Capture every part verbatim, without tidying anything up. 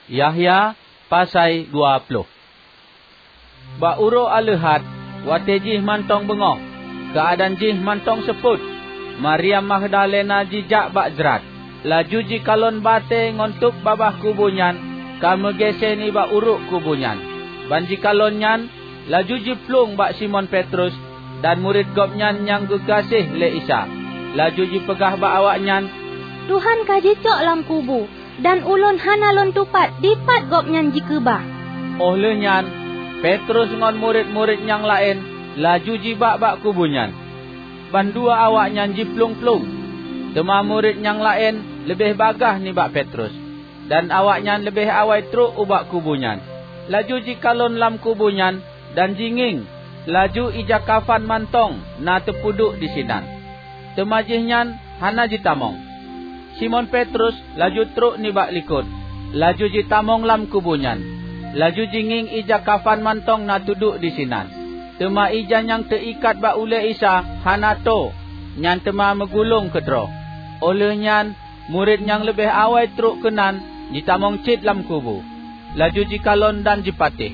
Yahya pasai dua ploh. Bak uroe Aleuhat, watée jih mantong beungoh, keuadaan jih mantong seupôt, Maryam Magdalena jijak bak jrat, laju jikalon batée ngon tôb babah kubu nyan ka meugése nibak uruek kubu nyan. Ban jikalon nyan, laju jiplueng bak Simon Petrus dan murit gobnyan nyang geugaséh lé Isa, laju jipeugah bak awaknyan, "Tuhan ka jicok lam kubu, dan ulôn hana lôn tupat dipat Gobnyan jikeubah." Óh lheueh nyan, Petrus ngon murit-murit nyang laén laju jibak bak kubu nyan. Bandua awaknyan jiplueng-plueng, teuma murit nyang laén leubeh bagaih nibak Petrus, dan awaknyan leubeh awai trok ubak kubu nyan. Laju jikalon lam kubu nyan dan jingieng, laju ija kafan mantong na teupeuduek disinan. Teuma jihnyan hana jitamong. Simon Petrus laju trok nibak likot, laju jitamong lam kubu nyan, laju jingieng ija kafan mantong na teuduek disinan. Teuma ija nyang teuikat bak ulée Isa hana toe, nyan teuma meugulong keudroe. Óh lheueh nyan, murit nyang leubeh awai trok keunan jitamong cit lam kubu, laju jikalon dan jipatéh.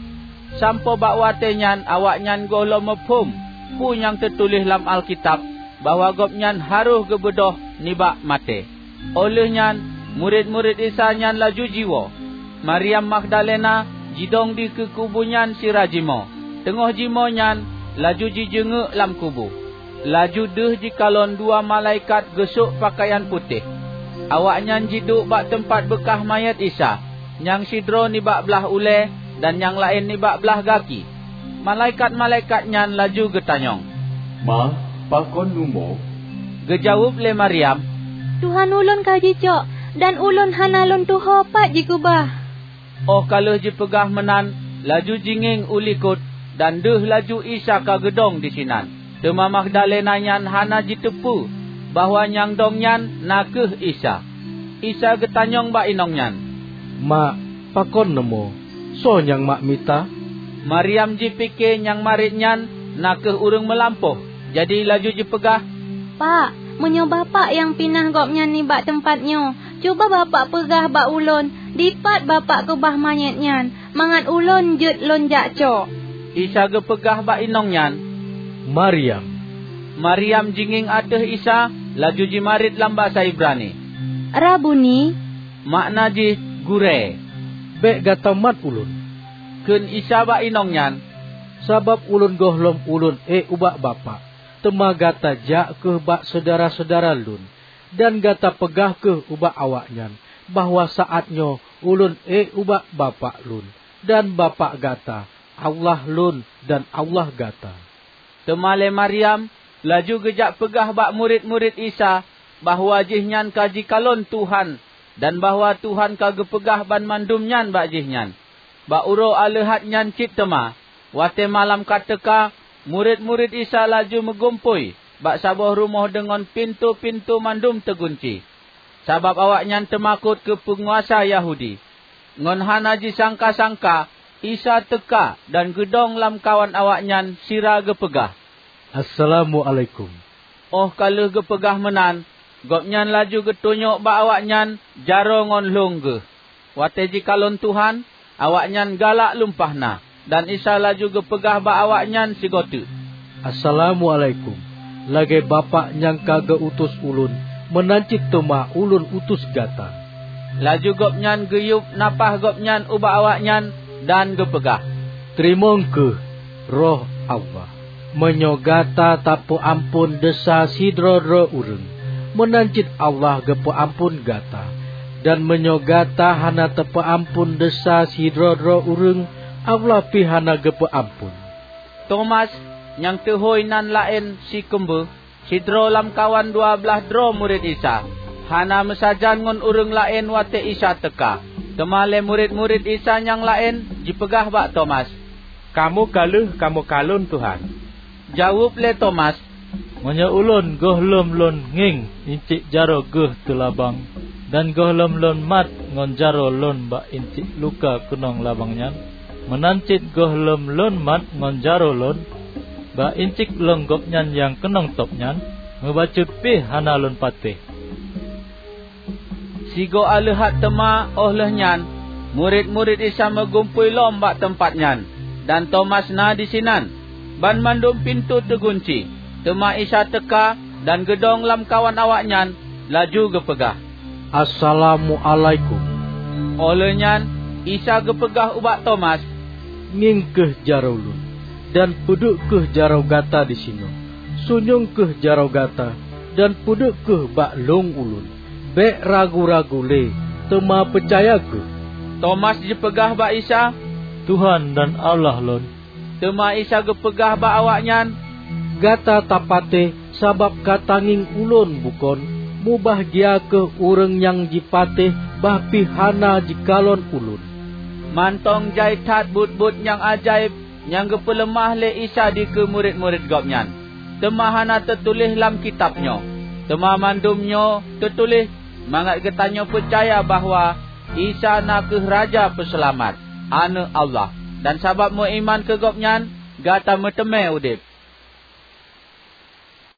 Sampoe bak watée nyan awaknyan gohlom muphom peue nyang teutuléh lam Alkitab bahwa Gobnyan harôh geubeudôh nibak maté. Óh lheueh nyan, murit-murit Isa nyan laju jiwoe. Maryam Magdalena jidong dikeue kubu nyan sira jimoe. Teungoh jimoe nyan, laju jijeungeuk lam kubu. Laju deuh jikalon dua malaikat geusok peukayan putéh. Awaknyan jiduek bak teumpat beukah manyét Isa, nyang sidroe nibak blaih ulée dan nyang laén nibak blaih gaki. Malaikat-malaikat nyan laju geutanyong, "Ma, pakon neumoe?" Geujaweueb lé Maryam, "Tuhan ulôn ka jicok, dan ulôn hana lôn tuho pat jikeubah." Óh ka lheueh jipeugah meunan, laju jingieng u likot, dan deuh laju Isa ka geudong disinan. Teuma Magdalena nyan hana jiteupeue bahwa nyang dong nyan na kheueh Isa. Isa geutanyong bak inong nyan, "Ma, pakon neumoe? Soe nyang mak mita?" Maryam jipike nyang marit nyan na kheueh ureuëng meulampôh, jadi laju jipeugah, "Pak, meunyoe Bapak nyang pinah Gobnyan nibak teumpat nyoe, cuba Bapak peugah bak ulôn dipat Bapak keubah manyét nyan, mangat ulôn jeuet lôn jak cok." Isa geupeugah bak inong nyan, "Maryam!" Maryam jingieng ateueh Isa, laju jimarit lam basa Ibrani, "Rabuni!" makna jih "Gurée!" "Bék gata mat Ulôn," kheun Isa bak inong nyan, "sabab Ulôn gohlom Ulôn ék ubak Bapak. Teuma gata jak kheueh bak syedara-syedara Lôn, dan gata peugah kheueh ubak awaknyan bahwa saát nyoe Ulôn ék ubak Bapak Lôn, dan Bapak gata, Allah Lôn, dan Allah gata." Teuma lé Maryam laju geujak peugah bak murit-murit Isa bahwa jihnyan ka jikalon Tuhan dan bahwa Tuhan ka geupeugah banmandum nyan bak jihnyan. Bak uroe Aleuhat nyan cit teuma, watée malam ka teuka, murit-murit Isa laju meugumpôi bak saboh rumoh deungon pintoe-pintoe mandum teugunci, sabab awaknyan teumakot keu peunguasa Yahudi. Ngon hana jisangka-sangka, Isa teuka dan geudong lamkawan awaknyan sira geupeugah, "Assalamualaikum." Óh ka lheueh geupeugah meunan, Gobnyan laju geutunyok bak awaknyan jaroe ngon lhong Geuh. Watée jikalon Tuhan, awaknyan galak lumpah na, dan Isa laju geupeugah bak awaknyan sigoe teuk, "Assalamualaikum! Lagée Bapak nyang ka geu-utus Ulôn, meunan cit teuma Ulôn utus gata." Laju Gobnyan geuyueb nafáh Gobnyan ubak awaknyan dan geupeugah, "Teurimong kheueh Roh Allah. Meunyoe gata tapeuamphon desya sidroe-droe ureuëng, meunan cit Allah geupeuamphon gata. Dan meunyoe gata hana tapeuamphon desya sidroe-droe ureuëng, Allah pih hana geupeuamphon." Tomas, nyang teuhôi nan laén Sikeumbeue, sidroe lamkawan dua blaih droe murit Isa, hana meusajan ngon ureuëng laén watée Isa teuka. Teuma lé murit-murit Isa nyang laén jipeugah bak Tomas, "Kamoe ka lheueh kamoe kalon Tuhan." Jaweueb lé Tomas, "Meunyoe ulôn gohlom lôn ngieng incik jaroe Geuh teulabang, dan gohlom lôn mat ngon jaroe lôn bak incik luka keunong labang nyan, meunan cit gohlom lôn mat ngon jaroe lôn bak incik lôn Gobnyan nyang keunong tôb nyan, meubacut pih hana lôn patéh." Sigoe aleuhat teuma óh lheueh nyan, Murit-murit Isa meugumpôi lom bak teumpat nyan, dan Tomas na disinan. Banmandum pintoe teugunci, teuma Isa teuka dan geudong lamkawan awaknyan, laju geupeugah, "Assalamualaikum!" Óh lheueh nyan Isa geupeugah ubak Tomas, "Ngieng kheueh jaroe Lôn, dan peuduek kheueh jaroe gata disinoe. Sunyueng kheueh jaroe gata, dan peuduek kheueh bak lông Ulôn. Bék ragu-ragu lé, teuma peucaya kheueh." Tomas jipeugah bak Isa, "Tuhan dan Allah lôn!" Teuma Isa geupeugah bak awaknyan, "Gata tapatéh sabab ka tangieng Ulôn bukon? Mubahgia kheueh ureuëng nyang jipatéh bah pih hana jikalon Ulôn!" Mantong jai that buet-buet nyang ajaéb nyang geupeuleumah lé Isa dikeue murit-murit Gobnyan, teuma hana teutuléh lam kitab nyoe. Teuma mandum nyoe teutuléh mangat geutanyoe peucaya bahwa Isa na kheueh Raja Peuseulamat, Aneuëk Allah, dan sabab meuiman keu Gobnyan, gata meuteumé udeb.